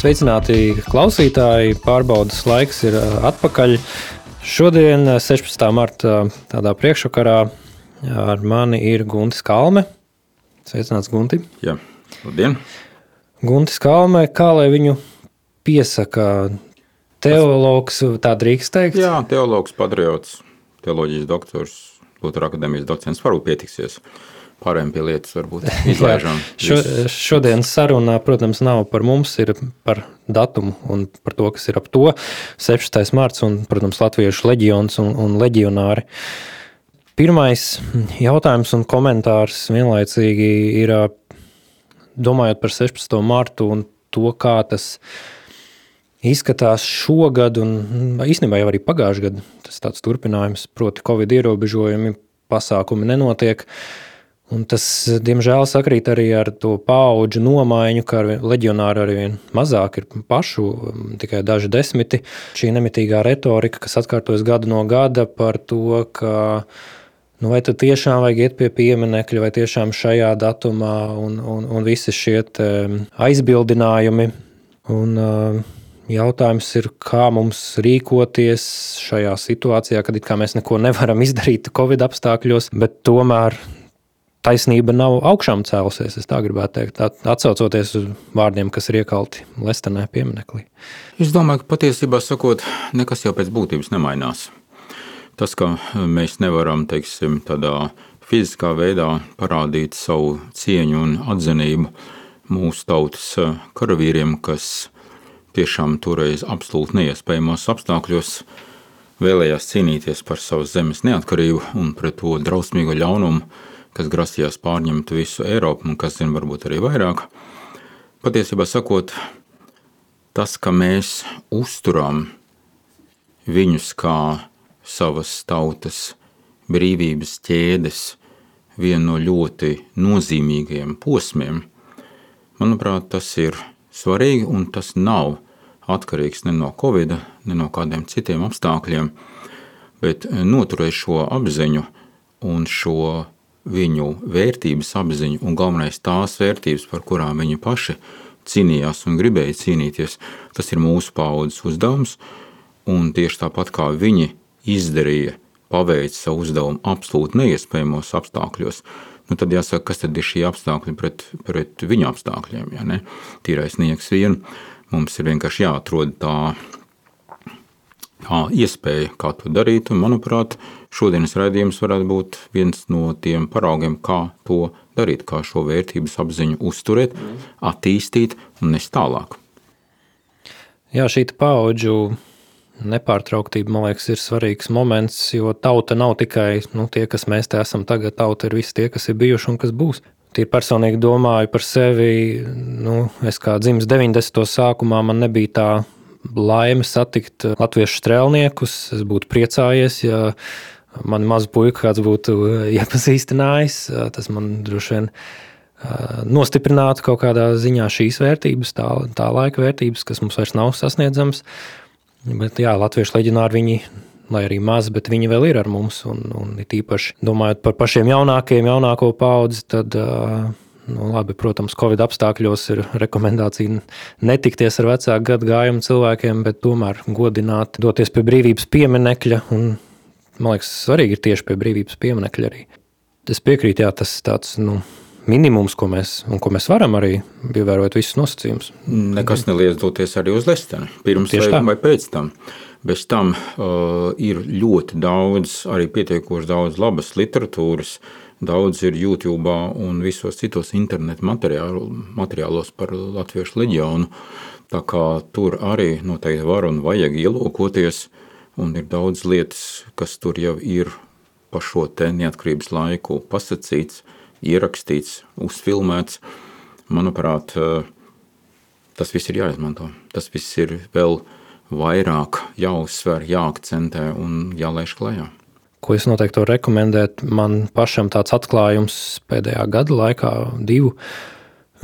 Sveicināti klausītāji, pārbaudas laiks ir atpakaļ. Šodien, 16. marta, tādā priekšvakarā ar mani ir Guntis Kalme. Sveicināts, Gunti. Jā, labdien. Guntis Kalme, kā lai viņu piesaka? Teologs, tā drīkst teikt? Jā, teologs, patriots, teoloģijas doktors, Lutera akadēmijas docents, varbūt pietiksies. Pārējiem pie lietas varbūt izlaižam. Šodienas saruna, protams, nav par mums, ir par datumu un par to, kas ir ap to. 16. marts un, protams, Latviešu leģions un leģionāri. Pirmais jautājums un komentārs vienlaicīgi ir, domājot par 16. martu un to, kā tas izskatās šogad un īstenībā jau arī pagājušajā gadā. Tas tāds turpinājums, proti Covid ierobežojumi, pasākumi nenotiek. Un tas, diemžēl, sakrīt arī ar to paudžu nomaiņu, ka leģionāri arvien mazāk ir pašu, tikai daži desmiti. Šī nemitīgā retorika, kas atkārtojas gadu no gada par to, ka vai tad tiešām vajag iet pie pieminekļa, vai tiešām šajā datumā un visi šie aizbildinājumi. Un jautājums ir, kā mums rīkoties šajā situācijā, kad it kā mēs neko nevaram izdarīt Covid apstākļos, bet tomēr taisnība nav augšām cēlusies, es tā gribētu teikt, atsaucoties uz vārdiem, kas ir iekalti Lestenē pieminaklī. Es domāju, ka patiesībā sakot, nekas jau pēc būtības nemainās. Tas, ka mēs nevaram, teiksim, tādā fiziskā veidā parādīt savu cieņu un atzinību mūsu tautas karavīriem, kas tiešām toreiz absolūti neiespējamos apstākļos vēlējās cīnīties par savas zemes neatkarību un pret to drausmīgo ļaunumu, kas grasījās pārņemt visu Eiropu un kas zina varbūt arī vairāk. Patiesībā sakot, tas, ka mēs uzturam viņus kā savas tautas brīvības ķēdes vienu no ļoti nozīmīgajiem posmiem, manuprāt, tas ir svarīgi un tas nav atkarīgs ne no Covida, ne no kādiem citiem apstākļiem, bet noturēt šo apziņu un šo viņu vērtības apziņu un galvenais tās vērtības, par kurām viņi paši cīnījās un gribēja cīnīties, tas ir mūsu paaudzes uzdevums, un tieši tāpat kā viņi izdarīja, paveica savu uzdevumu absolūti neiespējamos apstākļos, tad jāsaka, kas tad ir šī apstākļi pret viņu apstākļiem, ja ne? Tīrais nieks vien, mums ir vienkārši jāatrod tā iespēja, kā to darīt, un, manuprāt, šodienas raidījums varētu būt viens no tiem paraugiem, kā to darīt, kā šo vērtības apziņu uzturēt, attīstīt un nest tālāk. Jā, šī paudžu nepārtrauktība, man liekas, ir svarīgs moments, jo tauta nav tikai tie, kas mēs te esam tagad, tauta ir visi tie, kas ir bijuši un kas būs. Tīri personīgi domāju par sevi, es kā dzimis 90. sākumā, man nebija tā laime satikt latviešu strēlniekus. Es būtu priecājies, ja mani mazu puiku kāds būtu iepazīstinājis. Tas man droši vien nostiprinātu kaut kādā ziņā šīs vērtības, tā laika vērtības, kas mums vairs nav sasniedzams. Bet jā, latviešu leģionāri viņi, lai arī maz, bet viņi vēl ir ar mums. Un it īpaši domājot par pašiem jaunāko paudzi, tad labi, protams, Covid apstākļos ir rekomendācija netikties ar vecāku gadu gājumu cilvēkiem, bet tomēr godināt, doties pie brīvības pieminekļa, un, man liekas, svarīgi ir tieši pie brīvības pieminekļa arī. Es piekrītu, jā, tas tāds, minimums, ko mēs varam arī ievērot visus nosacījumus. Nekas neliedz doties arī uz Lesteni, pirms vai pēc tam. Bez tam ir ļoti daudz, arī pietiekoši daudz labas literatūras, daudz ir YouTube un visos citos internetu materiālos par Latviešu leģionu, tā kā tur arī noteikti var un vajag ielūkoties, un ir daudz lietas, kas tur jau ir pa šo te neatkarības laiku pasacīts, ierakstīts, uzfilmēts. Manuprāt, tas viss ir jāizmanto. Tas viss ir vēl vairāk jāuzsver, jāakcentē un jālaiž klajā. Ko es noteikti rekomendētu, man pašam tāds atklājums pēdējā gada laikā, 2,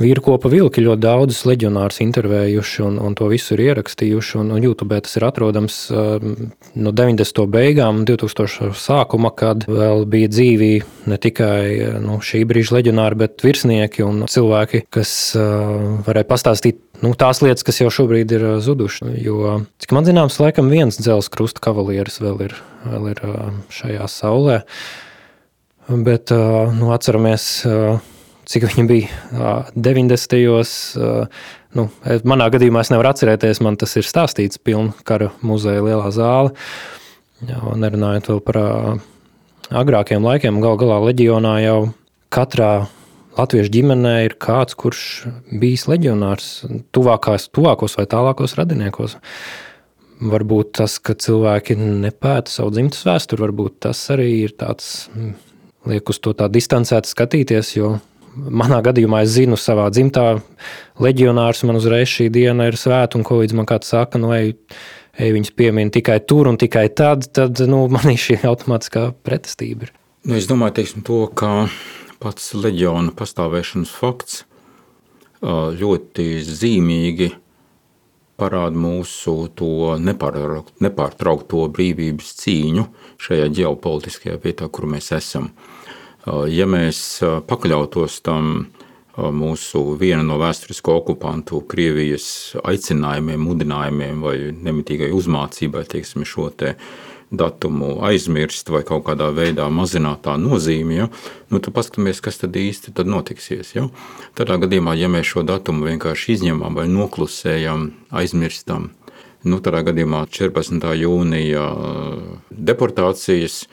Vīrkopa vilki ļoti daudzus leģionārus intervējuši un to visu ir ierakstījuši. Un YouTube tas ir atrodams no 90. beigām un 2000. sākuma, kad vēl bija dzīvi ne tikai šī brīža leģionāri, bet virsnieki un cilvēki, kas varēja pastāstīt tās lietas, kas jau šobrīd ir zuduši. Jo, cik man zināms, laikam viens dzelzs krusta kavalieris vēl ir šajā saulē. Bet atceramies, cik viņi bija 90. Manā gadījumā es nevaru atcerēties, man tas ir stāstīts pilna kara muzeja lielā zāle. Nerunājot vēl par agrākiem laikiem, gal galā leģionā jau katrā latviešu ģimenē ir kāds, kurš bijis leģionārs tuvākos vai tālākos radiniekos. Varbūt tas, ka cilvēki nepēta savu dzimtas vēsturi, varbūt tas arī ir tāds, liek uz to tā distancēti skatīties, jo manā gadījumā es zinu savā dzimtā leģionārs, man uzreiz šī diena ir svēta, un ko līdz man kāds saka, ej viņus piemin tikai tur un tikai tad manī šī automātiskā pretestība ir. Es domāju, to, ka pats leģiona pastāvēšanas fakts ļoti zīmīgi parāda mūsu to nepārtraukto brīvības cīņu šajā ģeopolitiskajā vietā, kur mēs esam. Ja mēs pakļautos tam mūsu viena no vēsturisko okupantu Krievijas aicinājumiem, mudinājumiem vai nemitīgai uzmācībai, šo te datumu aizmirst vai kaut kādā veidā mazināt tā nozīmi, tad paskatāmies, kas tad īsti tad notiksies. Tādā gadījumā, ja mēs šo datumu vienkārši izņemam vai noklusējam, aizmirstam, tādā gadījumā 14. jūnija deportācijas,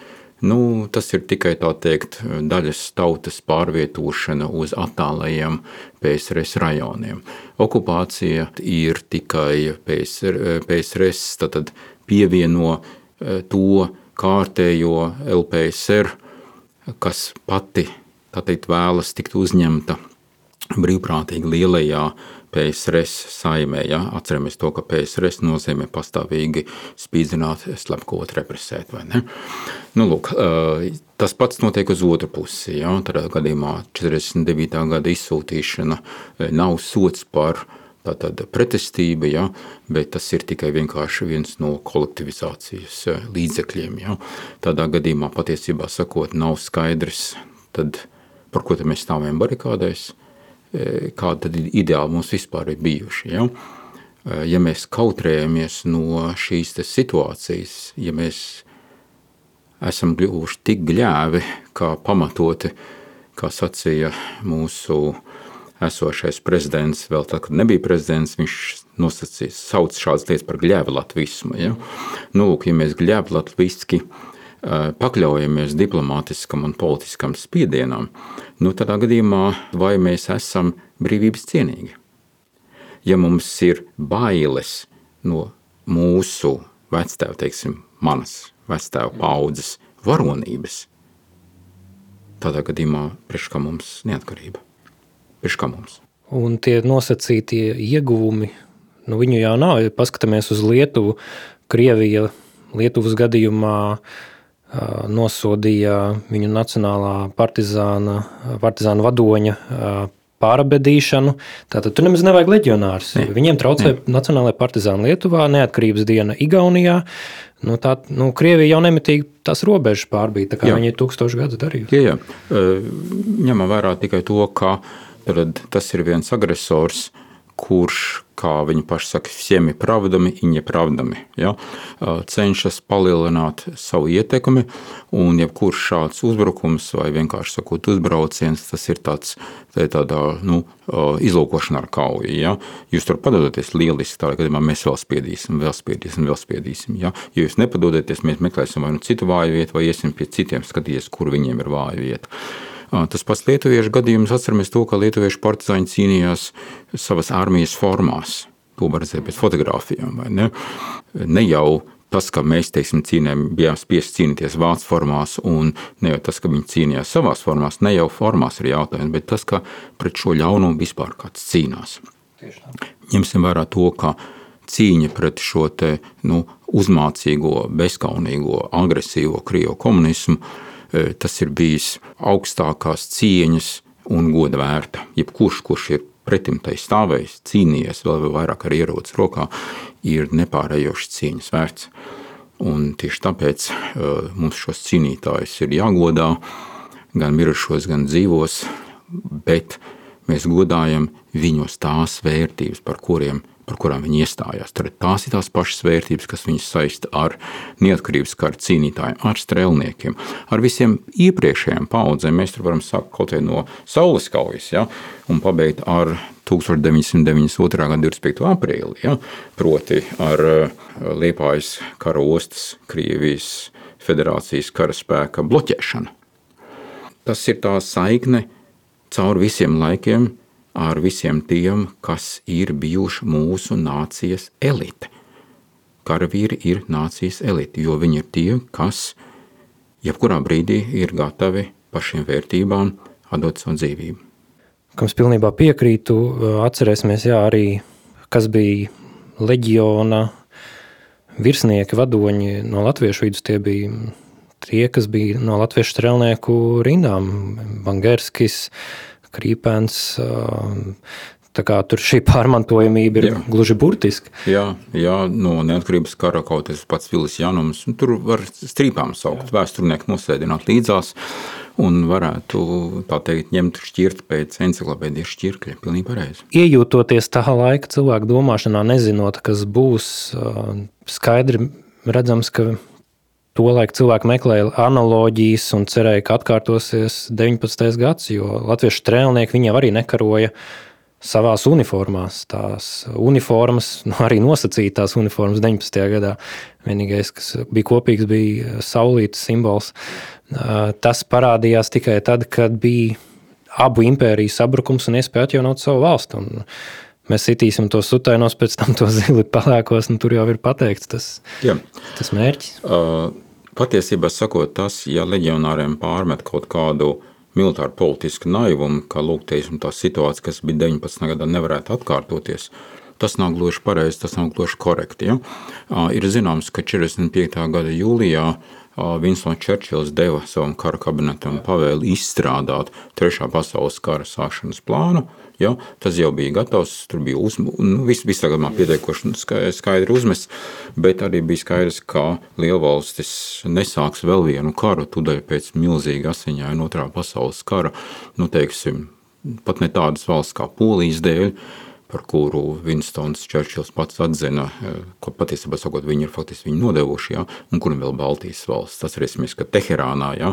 tas ir tikai tā teikt daļas tautas pārvietošana uz attālajiem PSRS rajoniem. Okupācija ir tikai PSRS, tad pievieno to kārtējo LPSR, kas pati, tā teikt, vēlas tikt uzņemta brīvprātīgi lielajā PSRS saimē. Atceramies to, ka PSRS nozīmē pastāvīgi spīdzināt, slepkavot, represēt, vai ne? Tas pats notiek uz otru pusi. Tādā gadījumā 49. gada izsūtīšana nav sots par tātad pretestība, bet tas ir tikai vienkārši viens no kolektivizācijas līdzekļiem. Tādā gadījumā patiesībā sakot nav skaidrs, tad par ko tad mēs stāvējam barikādēs, kāda tad ideāli mums vispār ir bijuši. Ja mēs kautrējamies no šīs situācijas, ja mēs esam kļuvuši tik gļēvi, kā pamatoti, kā sacīja mūsu esošais prezidents, vēl tā, kad nebija prezidents, viņš sauc šādas lietas par gļēvlatvismu. Ja mēs gļēvlatviski pakļaujamies diplomātiskam un politiskam spiedienam, tādā gadījumā vai mēs esam brīvības cienīgi? Ja mums ir bailes no mūsu vectēva, manas vectēva paudzes varonības, tādā gadījumā priekš kā mums neatkarība? Priekš kā mums? Un tie nosacītie ieguvumi, viņu jau nav. Ja paskatāmies uz Lietuvu, Krievija Lietuvas gadījumā nosodīja viņu nacionālā partizāna vadoņa pārabedīšanu. Tātad tur nemaz nevajag leģionārus. Viņiem traucē nacionālajā partizāna Lietuvā, neatkarības diena Igaunijā. Krievija jau nemitīgi tās robežas pārbīja, tā kā viņi 1000 gadus darījusi. Jā. Ņemam vērā tikai to, ka tas ir viens agresors, kurš, kā viņi paši saka, всеми правдами и неправдами, cenšas palielināt savu ietekmi, un jebkurš šāds uzbrukums vai vienkārši sakot uzbrauciens, tas ir tādā izlūkošana ar kauju. Jūs tur padodaties lieliski, tādā gadījumā mēs vēl spiedīsim. Ja jūs nepadodaties, mēs meklēsim vai citu vāju vietu, vai iesim pie citiem skatīties, kur viņiem ir vāja vieta. Tas pats lietuviešu gadījums, atceramies to, ka lietuviešu partizāņi cīnījās savas armijas formās. To var redzēt pēc fotogrāfijām, vai ne? Ne jau tas, ka mēs, bijām spiesti cīnīties vācu formās, un ne jau tas, ka viņi cīnījās savās formās, ne jau formās ir jautājums, bet tas, ka pret šo ļaunumu vispār kāds cīnās. Ņemsim vērā to, ka cīņa pret šo uzmācīgo, bezkaunīgo, agresīvo Krievu komunismu, tas ir bijis augstākās cieņas un goda vērta. Jebkurš, kurš ir pretim tai stāvējis, cīnījies vēl vairāk ar ieroci rokā, ir nepārējoši cieņas vērts. Un tieši tāpēc mums šos cīnītājus ir jāgodā, gan mirušos, gan dzīvos, bet mēs godājam viņos tās vērtības, par kurām viņi iestājās. Tad tās ir tās pašas vērtības, kas viņus saista ar neatkarības kara cīnītājiem, ar strēlniekiem, ar visiem iepriekšējiem paudzēm. Mēs tur varam sākt kaut vai no Saules kaujas, ja, un pabeigt ar 1992. Gada 25. aprīli, ja, proti ar Liepājas kara ostas Krievijas federācijas karaspēka bloķēšanu. Tas ir tā saikne caur visiem laikiem ar visiem tiem, kas ir bijuši mūsu nācijas elite. Karavīri ir nācijas elite, jo viņi ir tie, kas jebkurā brīdī ir gatavi par šīm vērtībām atdot savu dzīvību. Kam es pilnībā piekrītu, atcerēsimies, arī kas bija leģiona virsnieki, vadoņi no latviešu vidus, tie bija tie, kas bija no latviešu strelnieku rindām, Bangerskis, Krīpens, tā kā tur šī pārmantojamība ir gluži burtiski. Jā, no neatkarības kara kaut es pats Vilis Janums, tur var strīpām saukt, vēsturnieku nosēdināt līdzās un varētu, tā teikt, ņemt šķirt pēc enciklopēdijas šķirkļa, pilnīgi pareizi. Iejūtoties tā laika cilvēku domāšanā, nezinot, kas būs, skaidri redzams, ka tolaik cilvēki meklēja analoģijas un cerēja, ka atkārtosies 19. gads, jo latviešu strēlnieki viņi arī nekaroja savās uniformās. Tās uniformas, arī nosacītās uniformas 19. gadā. Vienīgais, kas bija kopīgs, bija saulītes simbols. Tas parādījās tikai tad, kad bija abu impēriju sabrukums un iespēja atjaunot savu valstu. Un mēs sitīsim to sutainos, pēc tam to zili palēkos, un tur jau ir pateikts tas mērķis. Patiesībā sakot tas, ja leģionāriem pārmet kaut kādu militāru politisku naivumu, ka lūk, teiksim, tā situācija, kas bija 19. gadā, nevarētu atkārtoties, tas nav gluži pareizi, tas nav gluži korekti. Ja? Ir zināms, ka 45. gada jūlijā Winstons Čerčils deva savam kara kabinetam pavēli izstrādāt 3. pasaules kara sākšanas plānu. Ja, tas jau bija gatavs, tur bija visā gadījumā pietiekoši skaidri uzmests, bet arī bija skaidrs, ka lielvalstis nesāks vēl vienu karu, tūdaļ pēc milzīga asiņaina 2. pasaules kara, teiksim, pat ne tādas valsts kā Polijas dēļ, par kuru Winstons Čerčils pats atzina, ko patiesībā sakot, viņi ir faktiski viņu nodevuši, ja, un kuram vēl Baltijas valsts. Tas reiz, ka Teherānā, ja,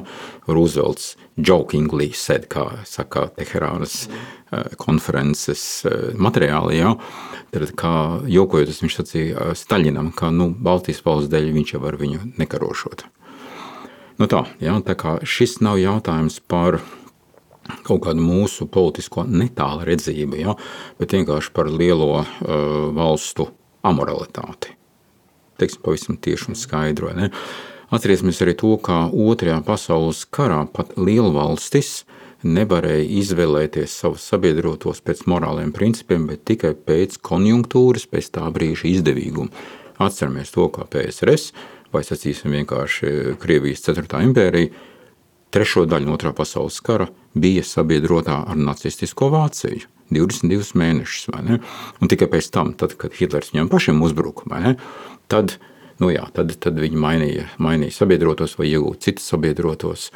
Roosevelts jokingly said, kā saka Teherānas konferences materiāli, ja, tad kā jokojoties viņš sacīja Staļinam, ka Baltijas valsts dēļ viņš jau ar viņu nekarošot. Tā kā šis nav jautājums par kaut kādu mūsu politisko netāla redzību, ja, bet vienkārši par lielo valstu amoralitāti. Teiksim, pavisam tieši un skaidro. Ne? Atcerēsimies arī to, ka 2. pasaules karā pat lielvalstis nevarēja izvēlēties savus sabiedrotos pēc morāliem principiem, bet tikai pēc konjunktūras, pēc tā brīža izdevīguma. Atceramies to, kā PSRS, vai sacīsim vienkārši Krievijas 4. impērija, 3. daļu no 2. pasaules kara bija sabiedrotā ar nacistisko Vāciju 22 mēnešus, vai ne? Un tikai pēc tam, tad, kad Hitlers viņam pašiem uzbruka, vai ne? Tad viņi mainīja sabiedrotos vai iegūt citus sabiedrotos.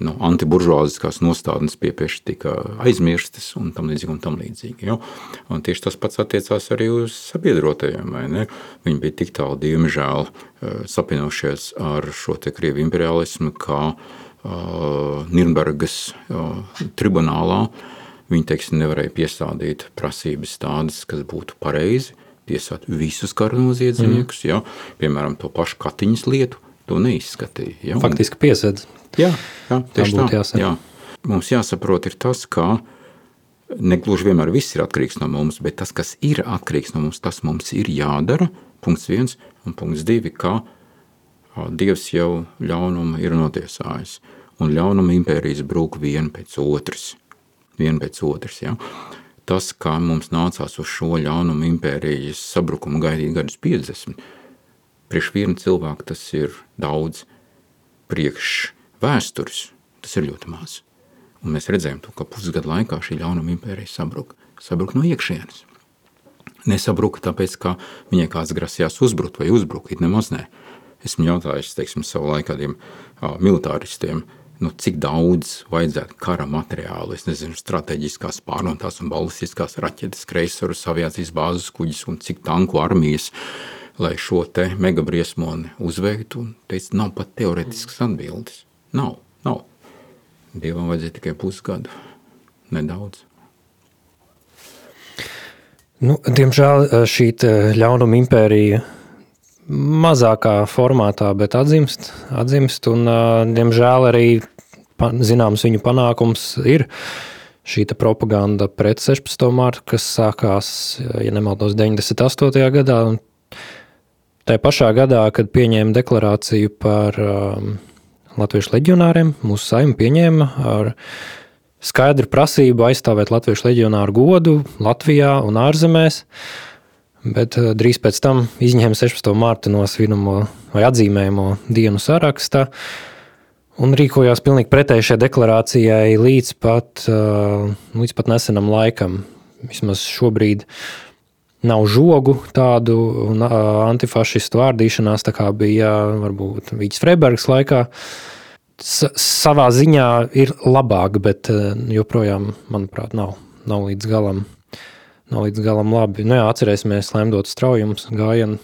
Antiburžuāziskās nostādnes piepieši tika aizmirstas un tam līdzīgi. Ja? Un tieši tas pats attiecās arī uz sabiedrotajiem, vai ne? Viņi bija tik tālu, diemžēl, sapinošies ar šo te Krievu imperialismu, kā Nirnbergas tribunālā viņi, teiksim, nevarēja piestādīt prasības tādas, kas būtu pareizi, tiesāt visus kara noziedzniekus, ja? Piemēram, to pašu Katiņas lietu, to neizskatīja. Ja? Faktiski piesedz. Jā, tieši tā. Jā. Mums jāsaprot ir tas, ka negluži vienmēr viss ir atkarīgs no mums, bet tas, kas ir atkarīgs no mums, tas mums ir jādara, punkts 1, un punkts 2, ka Dievs jau ļaunumu ir notiesājis, un ļaunuma impērijas brūk viena pēc otras. Ja? Tas, kā mums nācās uz šo ļaunuma impērijas sabrukumu gaidīt gadus 50, priekš viena cilvēka tas ir daudz, priekš vēstures tas ir ļoti maz. Un mēs redzējām to, ka pusgadu laikā šī ļaunuma impērija sabruka. sabruka no iekšienes. Nesabruka tāpēc, ka viņai kāds grasījās uzbrukt vai uzbrukt, it nemaz ne. Esmu jautājis, teiksim, savu laiku kādiem militāristiem, cik daudz vajadzētu kara materiālu, es nezinu, strateģiskās pārnotās un balistiskās raķetes, kreisarus, aviācijas bāzes kuģis un cik tanku armijas, lai šo te megabriesmoni uzveiktu, un teica, nav pat teoretiskas atbildes. Nav. Dievam vajadzēja tikai pusgadu. Nedaudz. Diemžēl šī ļaunuma impērija mazākā formātā, bet atzimst un, diemžēl, arī zināms viņu panākums ir šī propaganda pret 16. martu, kas sākās, ja nemaldos, 98. gadā, un tajā pašā gadā, kad pieņēma deklarāciju par latviešu leģionāriem, mūsu Saeima pieņēma ar skaidru prasību aizstāvēt latviešu leģionāru godu Latvijā un ārzemēs, bet drīz pēc tam izņēma 16. martu no svinamo vai atzīmējumo dienu sarakstā un rīkojās pilnīgi pretēji šai deklarācijai līdz pat nesenam laikam. Vismaz šobrīd nav žogu tādu antifašistu vārdīšanās, tā kā bija varbūt Vīķis Freibergs laikā. Savā ziņā ir labāk, bet joprojām, manuprāt, nav līdz galam labi. Atcerēsimies Lemdotu Straujums gājienu,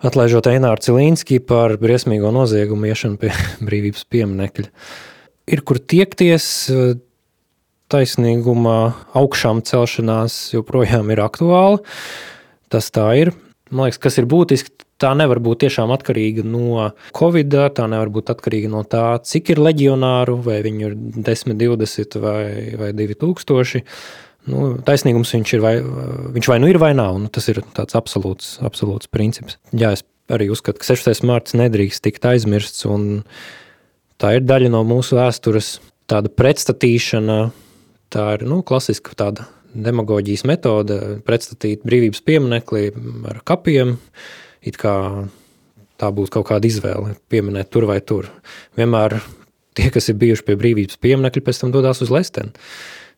atlaižot Eināru Cilīnski par briesmīgo noziegumu iešanu pie brīvības pieminekļa. Ir kur tiekties, taisnīguma augšām celšanās joprojām ir aktuāla. Tas tā ir. Man liekas, kas ir būtiski, tā nevar būt tiešām atkarīga no Covid, tā nevar būt atkarīga no tā, cik ir leģionāru, vai viņu ir 10, 20 vai 2000. Taisnīgums viņš vai nu ir vai nav, tas ir tāds absolūts princips. Jā, es arī uzskatu, ka 16. marts nedrīkst tikt aizmirsts, un tā ir daļa no mūsu vēstures, tāda pretstatīšana, tā ir klasiska tāda demagoģijas metode, pretstatīt brīvības pieminekli ar kapiem, it kā tā būtu kaut kāda izvēle pieminēt tur vai tur. Vienmēr tie, kas ir bijuši pie brīvības pieminekļa, pēc tam dodās uz Lesteni.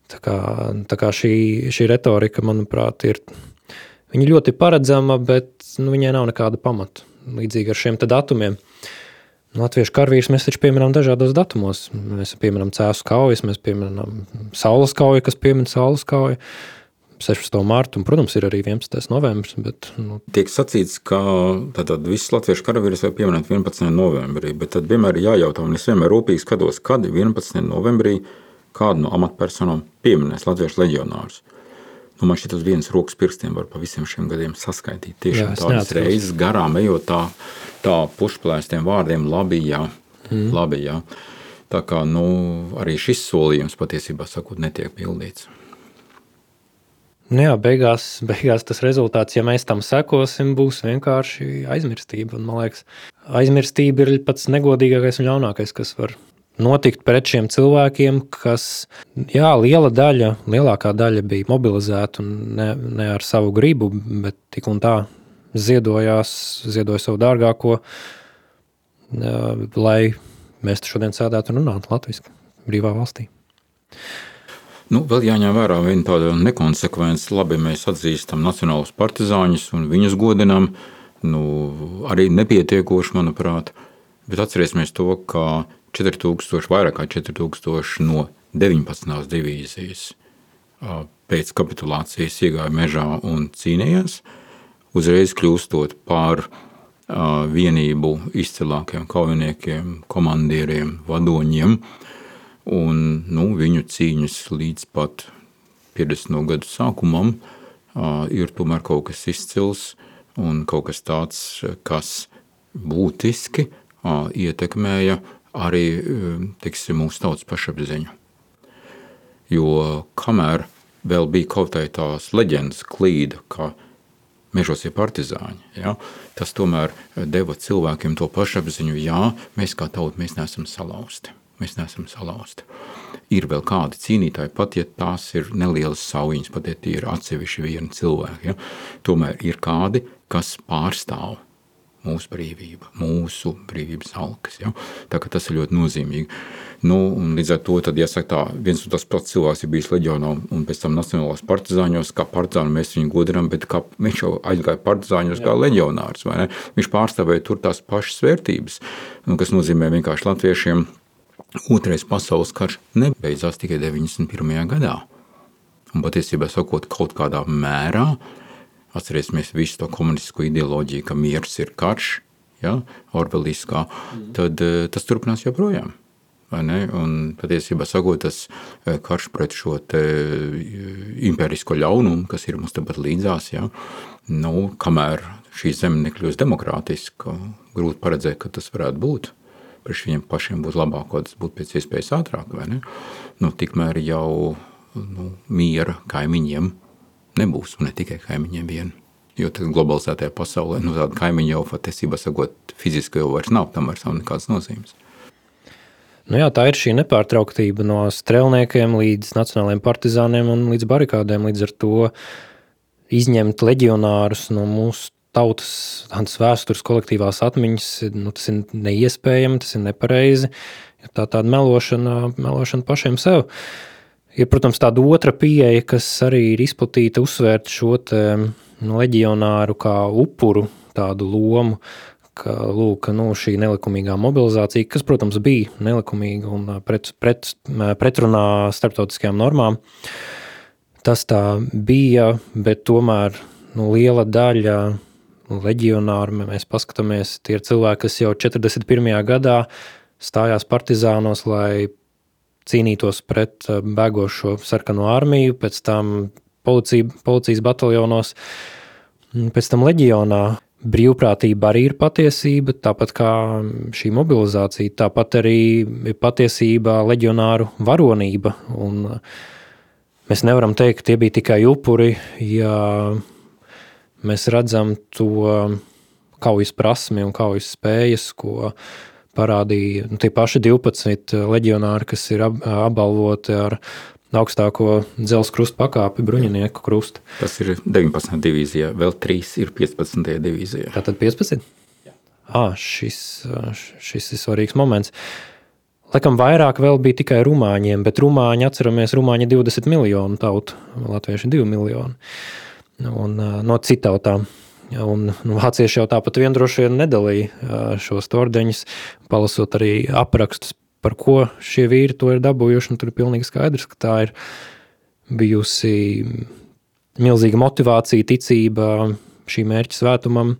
Tā kā šī retorika, manuprāt, viņa ļoti paredzama, bet viņai nav nekāda pamata. Līdzīgi ar šiem datumiem. Latviešu karavīrus mēs taču pieminām dažādos datumos. Mēs pieminām Cēsu kaujas, mēs pieminām Saules kauju, kas piemin Saules kauju, 16. martu, un, protams, ir arī 11. novembris. Bet, Tiek sacīts, ka tātad visus latviešu karavīrus var pieminēt 11. novembrī, bet tad vienmēr ir jājautā, un es vienmēr rūpīgi skatos, kad 11. novembrī kādu no amatpersonām pieminēs latviešu leģionārus. Man šķiet uz vienas rokas pirkstiem var pa visiem šiem gadiem saskaitīt. Tiešām tādas reizes garām ejot tā pušplēstiem vārdiem labi, jā. Tā kā, arī šis solījums patiesībā sakot netiek pildīts. Beigās tas rezultāts, ja mēs tam sekosim, būs vienkārši aizmirstība. Un, man liekas, aizmirstība ir pats negodīgākais un ļaunākais, kas var notikt pret šiem cilvēkiem, kas, lielākā daļa bija mobilizēta un ne ar savu gribu, bet tik un tā ziedoja savu dārgāko, lai mēs šodien sēdētu un runātu latviski brīvā valstī. Vēl jāņem vērā viena tāda nekonsekvence. Labi, mēs atzīstam nacionālus partizāņus un viņus godinām, arī nepietiekoši, manuprāt, bet atcerēsimies to, ka vairāk kā 4000 no 19. divīzijas pēc kapitulācijas iegāja mežā un cīnījās, uzreiz kļūstot par vienību izcilākiem kaujiniekiem, komandieriem, vadoņiem, un viņu cīņas līdz pat 50. gadu sākumam ir tomēr kaut kas izcils un kaut kas tāds, kas būtiski ietekmēja arī, mūsu tautas pašapziņu. Jo kamēr vēl bija kaut tās leģendas klīda, ka mežos ir partizāņi, tas tomēr deva cilvēkiem to pašapziņu, mēs kā tauta, mēs neesam salausti. Ir vēl kādi cīnītāji, pat ja tās ir nelielas saujiņas, pat ja tie ir atsevišķi vieni cilvēki, tomēr ir kādi, kas pārstāv mūsu brīvība, mūsu brīvības alkas. Ja? Tā kā tas ir ļoti nozīmīgi. Un līdz ar to, tad, jāsaka tā, viens un tas pats cilvēks ir bijis leģionā un pēc tam nacionālās partizāņos, kā partizāni mēs viņu godinām, bet kā viņš jau aizgāja partizāņos kā leģionārs, vai ne? Viņš pārstāvēja tur tās pašas vērtības, kas nozīmē vienkārši latviešiem Otrais pasaules karš nebeidzās tikai 91. gadā. Un patiesībā sakot, kaut kādā mērā, atcerēsimies visu to komunistisko ideoloģiju, ka miers ir karš, ja, orveliskā, tad tas turpinās joprojām. Vai ne? Un patiesībā sakot, tas karš pret šo te imperisko ļaunumu, kas ir mums tepat līdzās, ja, kamēr šī zeme nekļūst demokrātiska, grūti paredzēt, ka tas varētu būt. Priekš viņiem pašiem būtu labāk, ka tas būtu pēc iespējas ātrāk, vai ne? Tikmēr jau miera kaimiņiem nebūs, un ne tikai kaimiņiem vien. Jo tad globalizētajā pasaulē, tāda kaimiņa jau patiesībā sakot, fiziski jau vairs nav, tam vairs nav nekādas nozīmes. Jā, tā ir šī nepārtrauktība no strelniekiem līdz nacionālajiem partizāniem un līdz barikādēm. Līdz ar to izņemt leģionārus no mūsu tautas vēstures kolektīvās atmiņas, tas ir neiespējami, tas ir nepareizi. Tāda melošana pašiem sev. Ir, protams, tāda otra pieeja, kas arī ir izplatīta, uzsvērt šo leģionāru kā upuru tādu lomu, ka šī nelikumīgā mobilizācija, kas, protams, bija nelikumīga un pretrunā starptautiskajām normām, tas tā bija, bet tomēr liela daļa leģionāru, mēs paskatāmies, tie ir cilvēki, kas jau 41. gadā stājās partizānos, lai cīnītos pret bēgošo sarkano armiju, pēc tam policijas bataljonos, pēc tam leģionā. Brīvprātība arī ir patiesība, tāpat kā šī mobilizācija, tāpat arī ir patiesība leģionāru varonība. Un mēs nevaram teikt, ka tie bija tikai upuri, ja mēs redzam to kaujas prasmi un kaujas spējas, ko parādīja tie paši 12 leģionāri, kas ir apbalvoti ar augstāko dzelzs krusta pakāpi, bruņinieku krustu. Tas ir 19. divīzijā, vēl 3 ir 15. divīzijā. Tātad 15? Jā. Šis ir svarīgs moments. Laikam vairāk vēl bija tikai rumāņiem, bet rumāņi, atceramies, rumāņi 20 miljonu tautu, latvieši 2 miljoni. Un no citautām. Un vācieši jau tāpat vien droši vien nedalīja šos ordeņus, palasot arī aprakstus, par ko šie vīri to ir dabūjuši, un tur ir pilnīgi skaidrs, ka tā ir bijusi milzīga motivācija, ticība šī mērķa svētumam,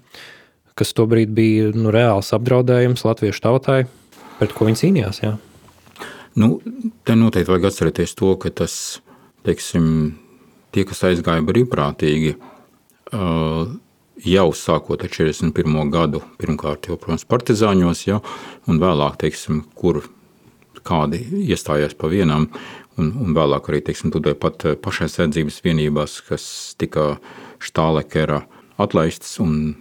kas tobrīd bija reāls apdraudējums latviešu tautai, pret ko viņi cīnījās, jā. Te noteikti vajag atcerēties to, ka tas, teiksim, tie, kas aizgāja brīvprātīgi, jau sākot ar 41. gadu, pirmkārt jau, protams, partizāņos, ja, un vēlāk, teiksim, kur kādi iestājās pa vienām, un vēlāk arī, teiksim, tūdēļ pat pašaizsardzības vienībās, kas tika Štālekera atlaistas un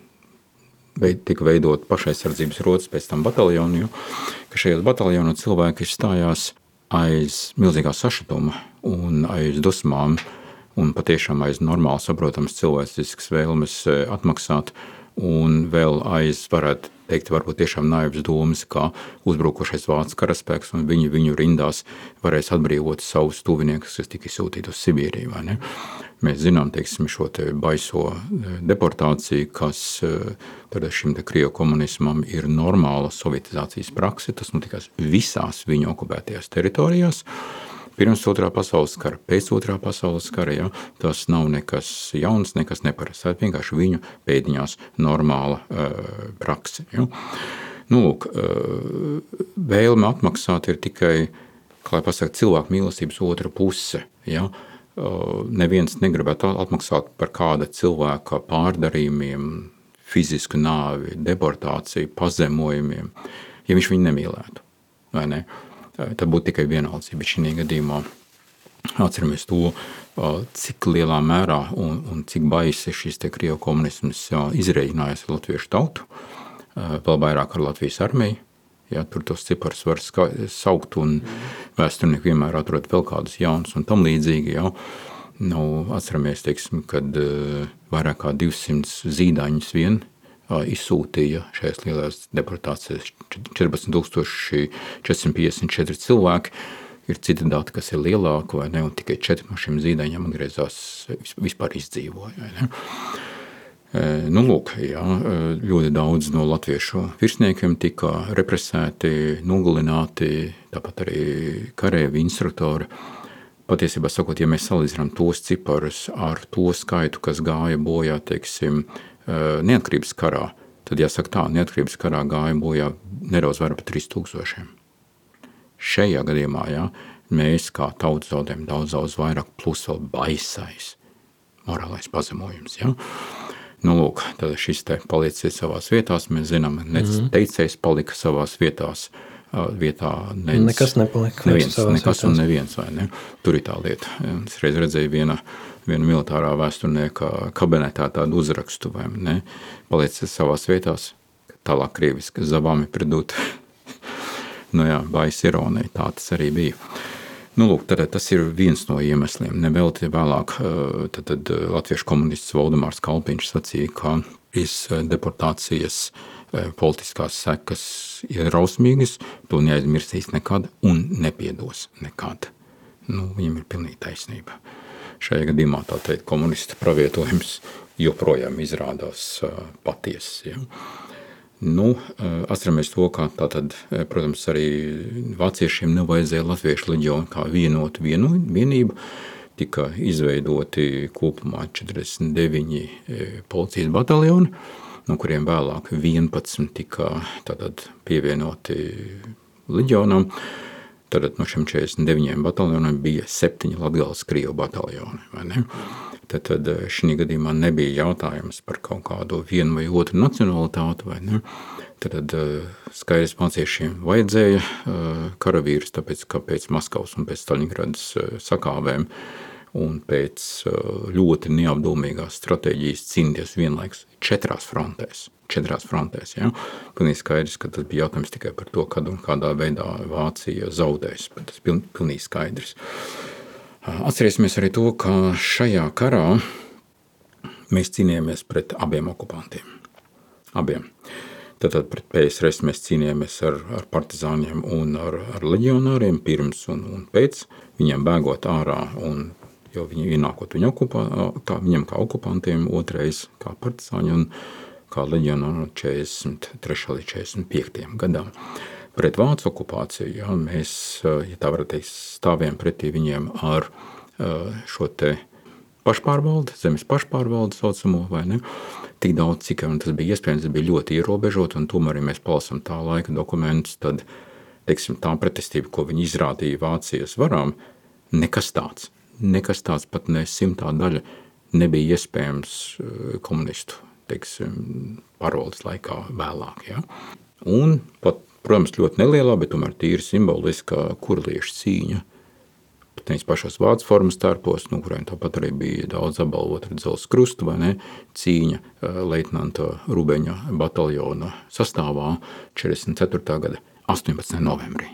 tika veidot pašaizsardzības rotas pēc tam bataljonu, jo, ka šajos bataljonos cilvēki stājās aiz milzīgā sašutuma un aiz dusmām, un patiešām aiz normāli saprotams cilvēciskas vēlmes atmaksāt, un vēl aiz, varētu teikt, varbūt tiešām naivas domas, kā uzbrukošais vācu karaspēks, un viņu rindās varēs atbrīvot savus tuviniekus, kas tika sūtīti uz Sibīriju, vai ne? Mēs zinām, teiksim, šo te baiso deportāciju, kas tad šim te krievu komunismam ir normāla sovietizācijas prakse, tas notikās visās viņu okupētajās teritorijās, pirms Otrā pasaules kara, pēc Otrā pasaules kara, ja, tas nav nekas jauns, nekas neparasts. Tā ir vienkārši viņu pēdiņās normāla prakse. Ja. Vēlme atmaksāt ir tikai, kā lai pasaka, cilvēku mīlestības otra puse. Ja. Neviens negribētu atmaksāt par kāda cilvēka pārdarījumiem, fizisku nāvi, deportāciju, pazemojumiem, ja viņš viņu nemīlētu, vai ne? Tad būtu tikai vienaldzība šī gadījumā. Atceramies to, cik lielā mērā un cik baisi šis te krievu komunisms izreikinājās ar latviešu tautu, vēl vairāk ar Latvijas armiju. Ja, tur tos ciparus var saukt, un vēsturnieki vienmēr atrod vēl kādus jaunus un tam līdzīgi. Ja. Atceramies, teiksim, kad vairāk kā 200 zīdaiņus vien izsūtīja šajās lielās deportācijās 14,454 cilvēki. Ir citi dati, kas ir lielāki, vai ne, un tikai 4 no šiem zīdaiņiem atgriezās, vispār izdzīvoja. Vai ne? Lūk, jā, ļoti daudz no latviešu virsniekiem tika represēti, nogalināti, tāpat arī karēvi, instruktori. Patiesībā sakot, ja mēs salīdzinām tos ciparus ar to skaitu, kas gāja bojā, teiksim, neatkarības karā, tad jāsaka tā, neatkarības karā gāja bojā nedaudz vairāk par 3000. Šajā gadījumā, jā, mēs kā tauta zaudējam daudz vairāk, plus vēl baisais morālais pazemojums. Jā. Lūk, tad šis te palieciet savās vietās, mēs zinām, teicējs palika savās vietās, nekas nepalika. Nekas un neviens, vai ne? Tur ir tā lieta. Es reiz redzēju viena militārā vēsturnieka kabinetā tādu uzrakstu, vai ne? Palieciet savās vietās, tālāk krieviski, zavami pridūt. Baisa ironija, tā tas arī bija. Lūk, tad tas ir viens no iemesliem. Nevelti vēlāk tad latviešu komunists Valdemārs Kalpiņš sacīja, ka deportācijas politiskās sekas ir rausmīgas, to neaizmirsīs nekad un nepiedos nekad. Viņam ir pilnīgi taisnība. Šajā gadījumā tā teikt komunista pravietojums joprojām izrādās patiesas. Ja? Atceramies to, ka tātad, protams, arī vāciešiem nevajadzēja latviešu leģionu kā vienotu vienību. Tika izveidoti kopumā 49 policijas bataljoni, no kuriem vēlāk 11 tika tātad pievienoti leģionam. Tātad no šiem 49 bataljoniem bija 7 Latgales krievu bataljoni, vai ne? Tad šī gadījumā nebija jautājums par kaut kādu vienu vai otru nacionalitāti, vai ne? Tad skaidrs vāciešiem vajadzēja karavīrus, tāpēc, ka pēc Maskavas un pēc Staļingradas sakāvēm un pēc ļoti neapdomīgās stratēģijas cīnīties vienlaikus 4 frontēs. Ja? Pilnīgi skaidrs, ka tas bija jautājums tikai par to, kad un kādā veidā Vācija zaudēs, bet tas pilnīgi skaidrs. Atcerēsimies arī to, ka šajā karā mēs cīnījāmies pret abiem okupantiem. Abiem. Tātad pret PSRS mēs cīnījāmies ar partizāņiem un ar leģionāriem pirms un pēc. Viņiem bēgot ārā un jau viņi ienākot viņam kā okupantiem, otrais kā partizāņi un kā leģionāri no 43. līdz 45. gadam. Pret vācu okupāciju, jā, mēs, ja tā varētu teikt, stāvējām pretī viņiem ar šo te pašpārvaldi, zemes pašpārvaldi saucamo, vai ne? Tik daudz, cik tas bija iespējams, tas bija ļoti ierobežot, un tomēr, ja mēs palasam tā laika dokumentus, tad, teiksim, tā pretestība, ko viņi izrādīja Vācijas varām, nekas tāds pat ne 100. daļa nebija iespējams komunistu, teiksim, pārvaldes laikā vēlāk, jā. Un pat, protams, ļoti nelielā, bet tomēr tīri simboliskā kurliešu cīņa. Pat nevis pašos vācu formas tērpos, no kuriem tāpat arī bija daudz apbalvot ar dzelzs krustu, vai ne, cīņa leitnanta Rubeņa bataljona sastāvā 44. gada 18. novembrī.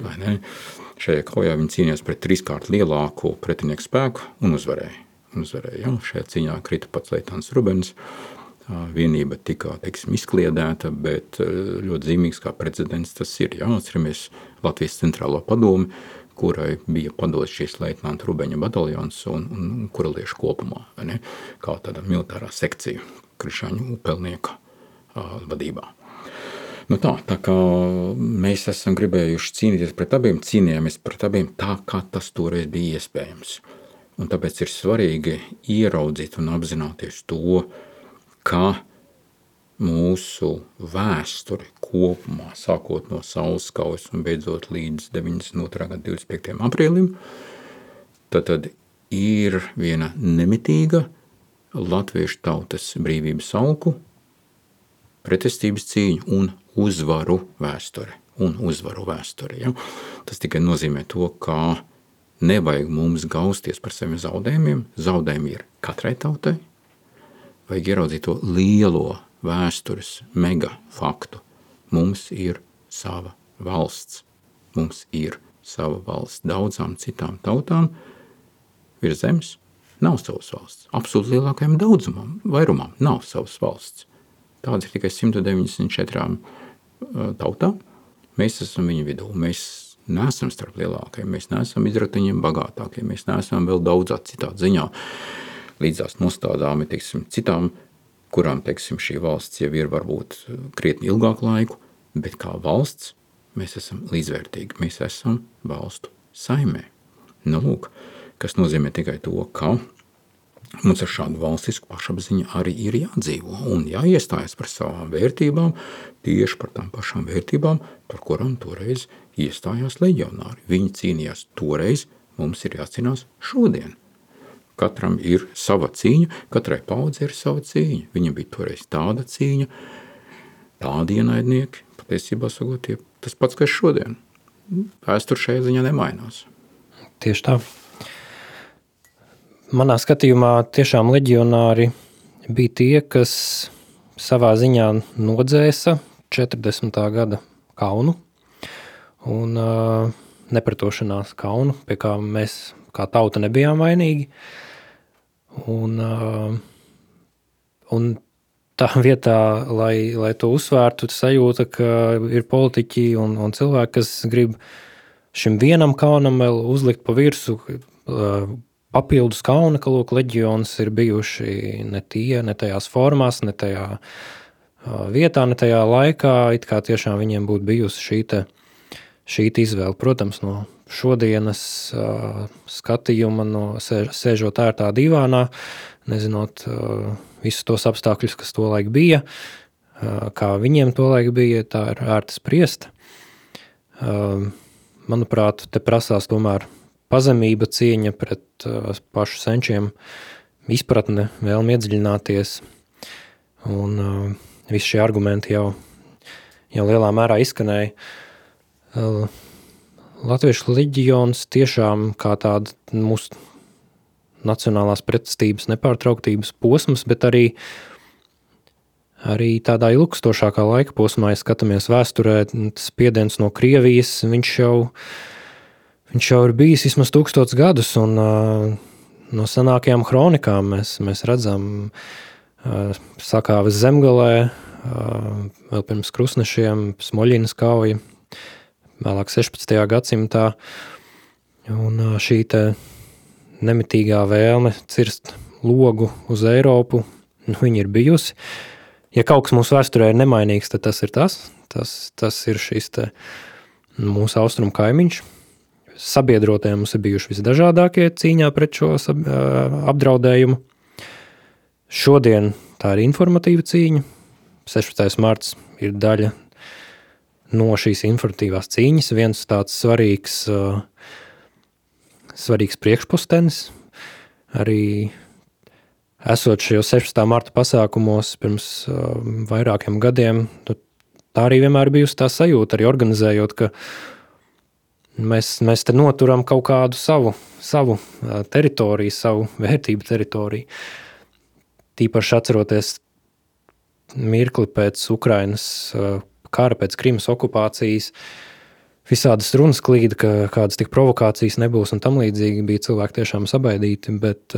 Vai ne? Šajā kaujā viņi cīnījās pret 3-kārt lielāku pretinieku spēku un uzvarēja. Ja? Šajā cīņā krita pats leitnants Rubens. Vienība tika, teiksim, izkliedēta, bet ļoti zīmīgs kā precedents tas ir. Jā, atceramies Latvijas centrālo padomi, kurai bija padots šīs leitnanta Rubeņa bataljons un kuraliešu kopumā, vai ne? Kā tāda militārā sekcija Krišāņu upelnieka vadībā. Tā kā mēs esam gribējuši cīnīties pret abiem, cīnījāmies pret abiem tā, kā tas toreiz bija iespējams. Un tāpēc ir svarīgi ieraudzīt un apzināties to, ka mūsu vēsture kopumā, sākot no Saules kaujas un beidzot līdz 92. gada 25. aprīlim, tad ir viena nemitīga latviešu tautas brīvības augu, pretestības cīņu un uzvaru vēsture. Ja? Tas tikai nozīmē to, ka nevajag mums gausties par saviem zaudējumiem. Zaudējumi ir katrai tautai. Vajag ieraudzīt to lielo vēstures mega faktu. Mums ir sava valsts. Mums ir sava valsts. Daudzām citām tautām virs zemes nav savas valsts. Absolūti lielākajam daudzumam, vairumam nav savas valsts. Tāds ir tikai 194 tautām. Mēs esam viņu vidū. Mēs neesam starp lielākajiem, mēs neesam izratiņiem bagātākie, mēs neesam vēl daudzā citā ziņā līdzās nostādāmi, teiksim, citām, kurām, teiksim, šī valsts jau ir varbūt krietni ilgāku laiku, bet kā valsts mēs esam līdzvērtīgi, mēs esam valstu saimē. Nu, lūk, kas nozīmē tikai to, ka mums ar šādu valstisku pašapziņu arī ir jādzīvo un jāiestājas par savām vērtībām, tieši par tām pašām vērtībām, par kurām toreiz iestājās leģionāri. Viņi cīnījās toreiz, mums ir jācīnās šodien. Katram ir sava cīņa, katrai paudzei ir sava cīņa. Viņam bija toreiz tāda cīņa, tādi ienaidnieki, patiesībā sakot, tas pats, kas šodien. Vēsture šajā ziņā nemainās. Tieši tā. Manā skatījumā tiešām leģionāri bija tie, kas savā ziņā nodzēsa 40. gada kaunu un nepretošanās kaunu, pie kā mēs kā tauta nebijām vainīgi. Un tā vietā, lai to uzsvērtu, sajūta, ka ir politiķi un cilvēki, kas grib šim vienam kaunam vēl uzlikt pa virsu papildus kauna, ka lūk, leģions ir bijuši ne tajās formās, ne tajā vietā, ne tajā laikā, it kā tiešām viņiem būtu bijusi šī izvēle. Protams, no šodienas skatījuma, sēžot ērtā divānā, nezinot visus tos apstākļus, kas tolaik bija, kā viņiem tolaik bija, tā ir ērti spriest. Manuprāt, te prasās tomēr pazemība, cieņa pret pašu senčiem, izpratne, vēlme iedziļināties. Un visi šie argumenti jau lielā mērā izskanēja. Latviešu leģions tiešām kā tāda mūsu nacionālās pretestības nepārtrauktības posms, bet arī tādā ilgstošākā laika posmā, ja skatāmies vēsturē, spiediens no Krievijas, viņš jau ir bijis vismaz 1000 gadus, un no senākajām kronikām mēs redzam sakāves Zemgalē, vēl pirms krustnešiem, Smoļinas kauja, vēlāk 16. gadsimtā, un šī te nemitīgā vēlme cirst logu uz Eiropu, viņa ir bijusi. Ja kaut kas mūsu vēsturē ir nemainīgs, tad tas ir tas ir šis te mūsu austrumu kaimiņš. Sabiedrotie mums ir bijuši visdažādākie cīņā pret šo apdraudējumu. Šodien tā ir informatīva cīņa. 16. marts ir daļa no šīs informatīvās cīņas. Viens tāds svarīgs priekšpostenis. Arī esot šajos 16. marta pasākumos pirms vairākiem gadiem, tā arī vienmēr bijusi tā sajūta, arī organizējot, ka mēs te noturam kaut kādu savu teritoriju, savu vērtību teritoriju. Tīpaši atceroties mirkli pēc Ukrainas kara, pēc Krimas okupācijas, visādas runas klīda, ka kādas tik provokācijas nebūs un tam līdzīgi, bija cilvēki tiešām sabaidīti, bet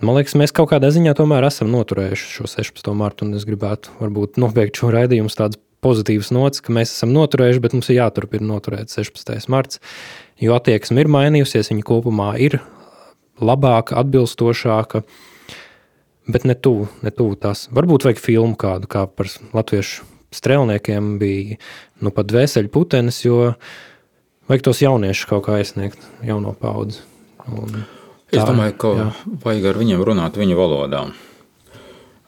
man liekas, mēs kaut kādā ziņā tomēr esam noturējuši šo 16. martu, un es gribētu varbūt nobeigt šo raidījumu tādas pozitīvas nots, ka mēs esam noturējuši, bet mums ir jāturpina noturēt 16. marts, jo attieksme ir mainījusies, viņa kopumā ir labāka, atbilstošāka, bet ne tuvu tās. Varbūt vajag filmu kādu, kā par latviešu strēlniekiem bija pat dvēseļu putenis, jo vajag tos jauniešus kaut kā aizsniegt, jauno paudzi. Es domāju, ka vajag ar viņiem runāt viņu valodā.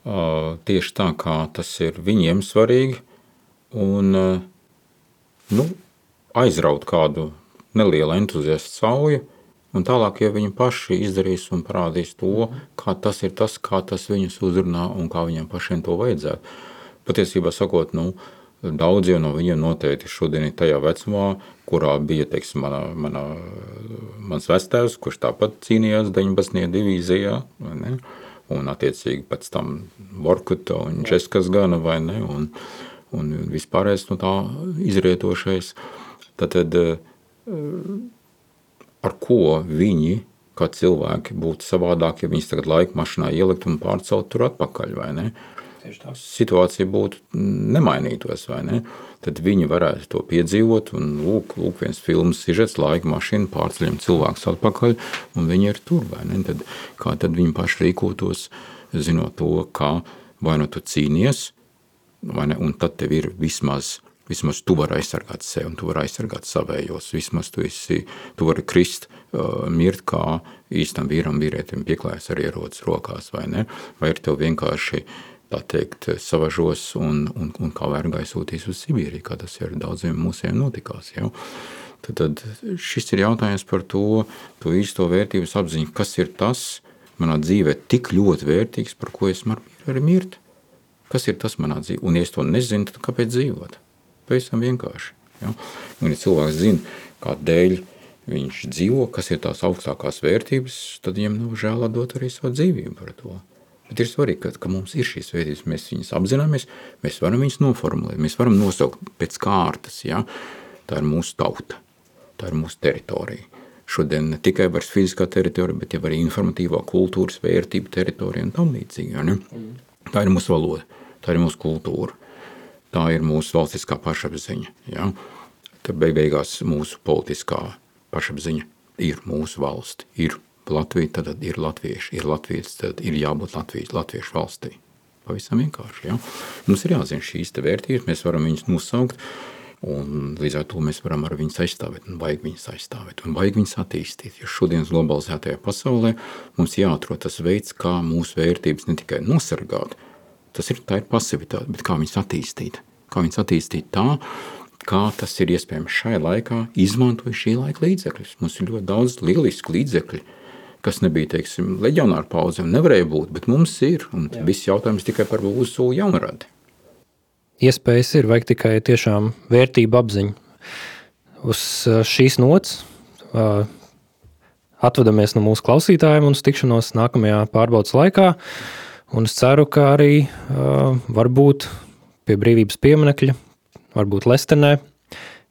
Tieši tā, kā tas ir viņiem svarīgi, un aizraut kādu nelielu entuziastu sauju, un tālāk, ja viņi paši izdarīs un parādīs to, kā tas ir tas, kā tas viņus uzrunā un kā viņiem pašiem to vajadzētu. Patiesībā sakot, daudz jau no viņiem noteikti šodien ir tajā vecumā, kurā bija, teiksim, mans vectēvs, kurš tāpat cīnījās 19. divīzijā, vai ne? Un attiecīgi pēc tam Vorkuta un Českas gana, vai ne? Un vispārējais no tā izrietošais. Tad ar ko viņi, kā cilvēki, būtu savādāk, ja viņus tagad laika mašinā ielikt un pārcelt tur atpakaļ, vai ne? situācija būtu nemainītos, vai ne? Tad viņi varētu to piedzīvot, un lūk viens filmas sižets, laika mašīna, pārceļam cilvēkus atpakaļ, un viņi ir tur, vai ne? Tad, kā tad viņi paši rīkotos, zinot to, kā vai nu tu cīnies, vai ne? Un tad tev ir vismaz tu vari aizsargāt sevi, un tu vari aizsargāt savējos, vismaz tu vari krist, mirt kā īstam vīrietim pieklājas ar ierodas rokās, vai ne? Vai ir tev vienkārši tā teikt, savažos un kā vergai sūtīs uz Sibīriju, kā tas ir daudziem mūsiem notikās. Ja? Tad šis ir jautājums par to īsto vērtības apziņu, kas ir tas manā dzīvē tik ļoti vērtīgs, par ko es varu arī mirt. Kas ir tas manā dzīvē? Un ja es to nezinu, tad kāpēc dzīvot? Pavisam vienkārši. Ja? Un ja cilvēks zina, kādēļ viņš dzīvo, kas ir tās augstākās vērtības, tad viņam nav žēl dot arī savu dzīvību par to. Bet ir svarīgi, ka mums ir šīs vērtības, mēs viņas apzināmies, mēs varam viņas noformulēt, mēs varam nosaukt pēc kārtas, ja? Tā ir mūsu tauta, tā ir mūsu teritorija. Šodien ne tikai vairs fiziskā teritorija, bet jau arī informatīvā kultūras vērtība teritorija un tam līdzīgi. Ja? Tā ir mūsu valoda, tā ir mūsu kultūra, tā ir mūsu valstiskā pašapziņa. Ja? Tad beigās mūsu politiskā pašapziņa ir mūsu valsti, ir Latvija, tad ir latvieši, ir latvieši, tad ir jābūt latviešu valstī. Pavisam vienkārši, ja? Mums ir jāzina šīs te vērtības, mēs varam viņus nosaukt, un līdz ar to mēs varam ar viņus aizstāvēt, un vajag viņus aizstāvēt, un vajag viņus attīstīt. Jo šodienas globalizētajā pasaulē mums jāatrod tas veids, kā mūsu vērtības ne tikai nosargāt, tā ir pasivitāte, bet kā viņus attīstīt. Kā viņus attīstīt tā, kā tas ir iespējams šai laikā, izmantoja šī laika līdzekļus. Mums ir ļoti daudz lielisku līdzekļu, kas nebija, teiksim, leģionāru paudzēm, nevarēja būt, bet mums ir, un viss jautājums tikai par mūsu jaunradi. Iespējas ir, vajag tikai tiešām vērtību apziņu. Uz šīs nots atvadamies no mūsu klausītājiem un tikšanos nākamajā pārbaudas laikā, un es ceru, ka arī varbūt pie brīvības pieminekļa, varbūt Lestenē,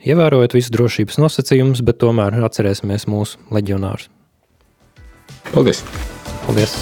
ievērojot visus drošības nosacījumus, bet tomēr atcerēsimies mūsu leģionārus. Paldies! Paldies!